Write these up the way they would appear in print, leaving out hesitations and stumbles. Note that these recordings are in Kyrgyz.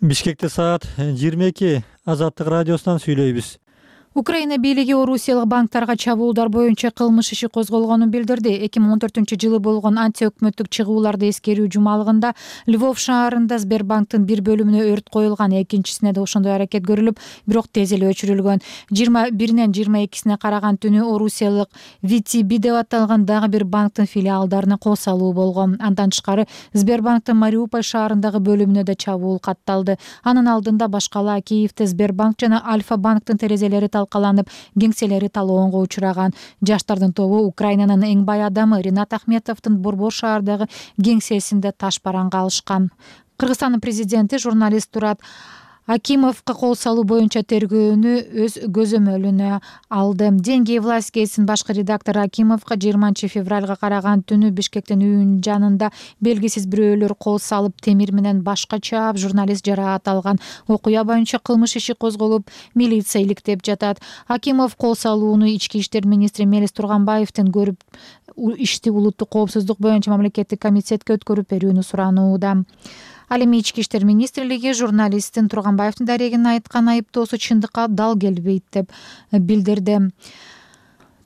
Бишкекте саат 22 Азаттык радиосунан сүйлөйбүз. Украина бийлиги орусиялык банктарга чабуулдар боюнча кылмыш иши козголгонун билдирди. 2014-жылы болгон антиөкмөттүк чыгууларды эскерүү жумалыгында Львов шаарында Сбербанктын бир бөлүмүнө өрт коюлган, экинчисине да ошондой аракет көрүлүп, бирок тез эле өчүрүлгөн. 21-нен 22-сине караган түнү орусиялык VTB деп аталган дагы бир банктын филиалдарына кол салуу болгон. Андан тышкары Сбербанктын Мариуполь шаарындагы бөлүмүнө да чабуул катталды. Анын алдында башкала Киевде Сбербанк жана Альфа банктын терезелери талкаланып, кеңселери талоонго учураган. Жаштардын тобу Украинанын эң бай адамы Ринат Ахметовдун Борбор шаардагы кеңсесинде таш бараңга алышкан. Кыргызстандын президенти журналист Турат Акимовго кол салуу боюнча тергөөнү өз көзөмөлүнө алды. Деньги и власть гезитинин башкы редактору Акимовго 20 февралга караган түнү Бишкектин үйүнүн жанында белгисиз бирөөлөр кол салып, темир менен башка чаап, журналист жараат алган. Окуя боюнча кылмыш иши козголуп, милиция иликтеп жатат. Акимов кол салууну Ички иштер министри Мелис Турганбаевден көрүп, ишти улуттук коопсуздук боюнча мамлекеттик комитетке өткөрүп берүүнү суранууда. Ал эми Ички иштер министрлиги журналисттин Турганбаевдин дарегин айткан айыптоосу чындыкка дал келбейт деп билдирди.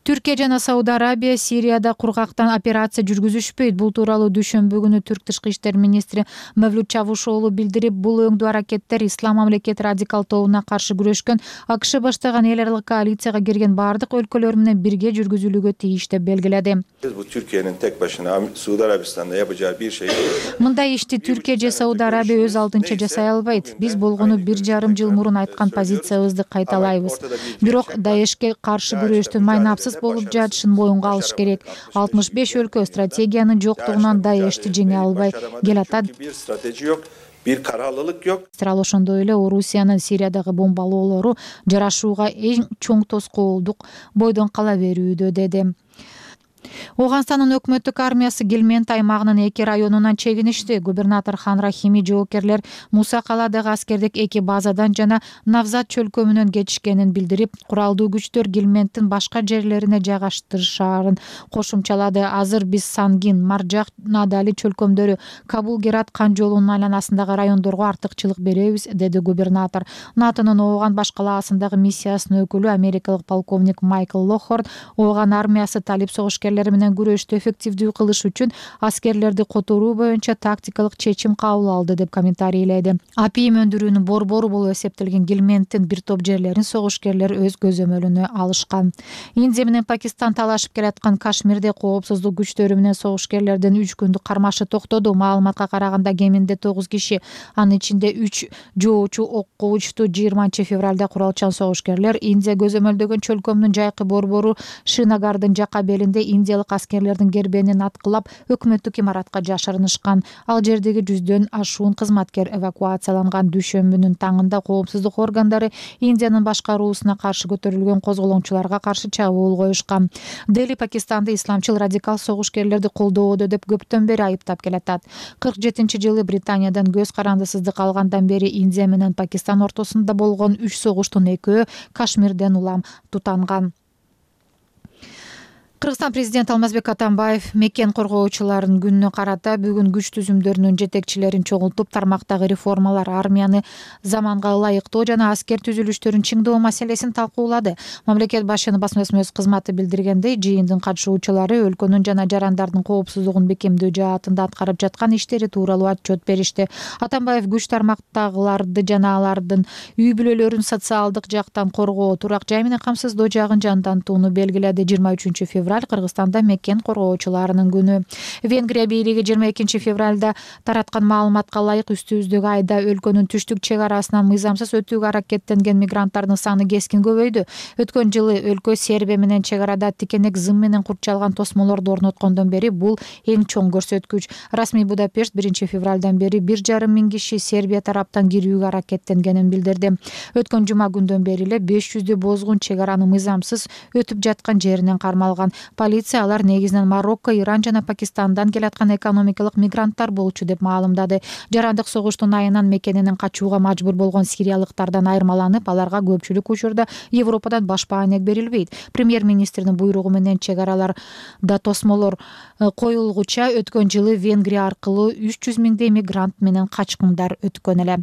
Түркия жана Сауд Арабия Сирияда кургактан операция жүргүзүшпөйт. Бул тууралуу дүйшөмбү күнү Түрк тышкы иштер министри Мевлют Чавушоğlu билдирип, бул өңдүү аракеттер Ислам мамлекети радикал тобуна каршы күрөшкөн АКШ баштаган эл аралык коалицияга кирген бардык өлкөлөр менен бирге жүргүзүлүүгө тийиш деп белгиледи. Bu Türkiye'nin tek başına Suudi Arabistan'da yapacağı bir şey değil. Мындай ишти Түркия же Сауд Арабия өз алдынча жасай албайт. Биз болгону 1,5 жыл мурун айткан позициябызды кайталайбыз. Бирок Даешке каршы күрөштүн майнапсыз болуп жатышын моюнга алыш керек. 65 өлкө стратегиянын жоктугунан Даешти жеңе албай келатат. Bir strateji yok, bir kararlılık yok. Ал ошондой эле Орусиянын Сириядагы бомбалоолору жарашууга эң чоң тоскоолдук бойдон кала берүүдө деди. Оганстандын өкмөттүк армиясы Гельмент аймагынын 2 районунан чегиништи. Губернатор Хан Рахими жоокерлер Муса каладагы аскердик 2 базадан жана Навзат чөлкөмүнөн кетишкенин билдирип, куралдуу күчтөр Гельменттин башка жерлерине жайгаштырышаарын кошумчалады. Азыр биз Сангин, Маржак, Надали чөлкөмдөрү, Кабул Герат кан жолунун айланасындагы райондорго артыкчылык беребиз, деди губернатор. НАТОнун Ооган башкалаасындагы миссиясынын өкүлү америкалык полковник Майкл Лохорд Ооган армиясы талип согушкерлер менен күрөштү эффективдүү кылыш үчүн аскерлерди которуу боюнча тактикалык чечим кабыл алды деп комментарийледи. Апийим өндүрүүнүн борбору болуп эсептелген Гельменттин бир топ жерлерин согушкерлер өз көзөмөлүнө алышкан. Индия менен Пакистан талашып келаткан Кашмирде коопсуздук күчтөрү менен согушкерлердин 3 күндүк кармашы токтоду. Маалыматка караганда кеминде 9 киши, анын ичинде 3 жоочу окко учту. 20 февралда куралчан согушкерлер Индия көзөмөлдөгөн чөлкөмдүн жайкы борбору Шинагардын жака белинде индиялык аскерлердин кербенин аткылап, өкмөттүк имаратка жашырынышкан. Ал жердеги 100дөн ашуун кызматкер эвакуацияланган. Дүйшөмбүнүн таңында коопсуздук органдары Индиянын башкаруусуна каршы көтөрүлгөн козголоңчуларга каршы чабуул коюшкан. Дели Пакистанды исламчыл радикал согушкерлерди колдоодо деп көптөн бери айыптап келатат. 47-жылы Британиядан көз карандысыздык алгандан бери Индия менен Пакистан ортосунда болгон 3 согуштун 2-өө Кашмирден улам тутанган. Кыргызстан президенти Алмазбек Атамбаев мекен коргоочулардын күнүнө карата бүгүн күч түзүмдөрүнүн жетекчилерин чогултуп, тармактагы реформалар, армияны заманга ылайыктоо жана аскер түзүлүштөрүн чыңдоо маселесин талкуулады. Мамлекет башчынын басма-сөз кызматы билдиргендей, жыйындын катышуучулары өлкөнүн жана жарандардын коопсуздугун бекемдөө жаатында аткарып жаткан иштери тууралуу отчет беришти. Атамбаев күч тармактагыларды жана алардын үй бүлөлөрүн социалдык жактан коргоо, турак жай менен камсыздоо жагын жандантууну белгиледи. 23 февраль Кыргызстанда мекен коргоочуларынын күнү. Венгрия бийлиги 22 февралда тараткан маалыматка ылайык үстүбүздөгү айда өлкөнүн түштүк чек арасынан мыйзамсыз өтүүгө аракеттенген мигранттардын саны кескин көбөйдү. Өткөн жылы өлкө Сербия менен чек арада тикенек зым менен курчалган тосмолорду орноткондон бери бул эң чоң көрсөткүч. Расмий Будапешт 1 февралдан бери 1,5 миң киши Сербия тараптан кирүүгө аракеттенгенин билдирди. Өткөн жума күндөн бери эле 500 бозгун чек араны мыйзамсыз өтүп жаткан жеринен кармалган. Полиция алар негизинен Марокко, Иран жана Пакистандан келаткан экономикалык мигранттар болчу деп маалымдады. Жарандык согуштун айынан мекенинен качууга мажбур болгон сириялыктардан айырмаланып, аларга көпчүлүк учурда Европадан башпаанек берилбейт. Премьер-министрдин буйругу менен чек араларда тосмолор коюлгуча өткөн жылы Венгрия аркылуу 300 миңдей мигрант менен качкындар өткөн эле.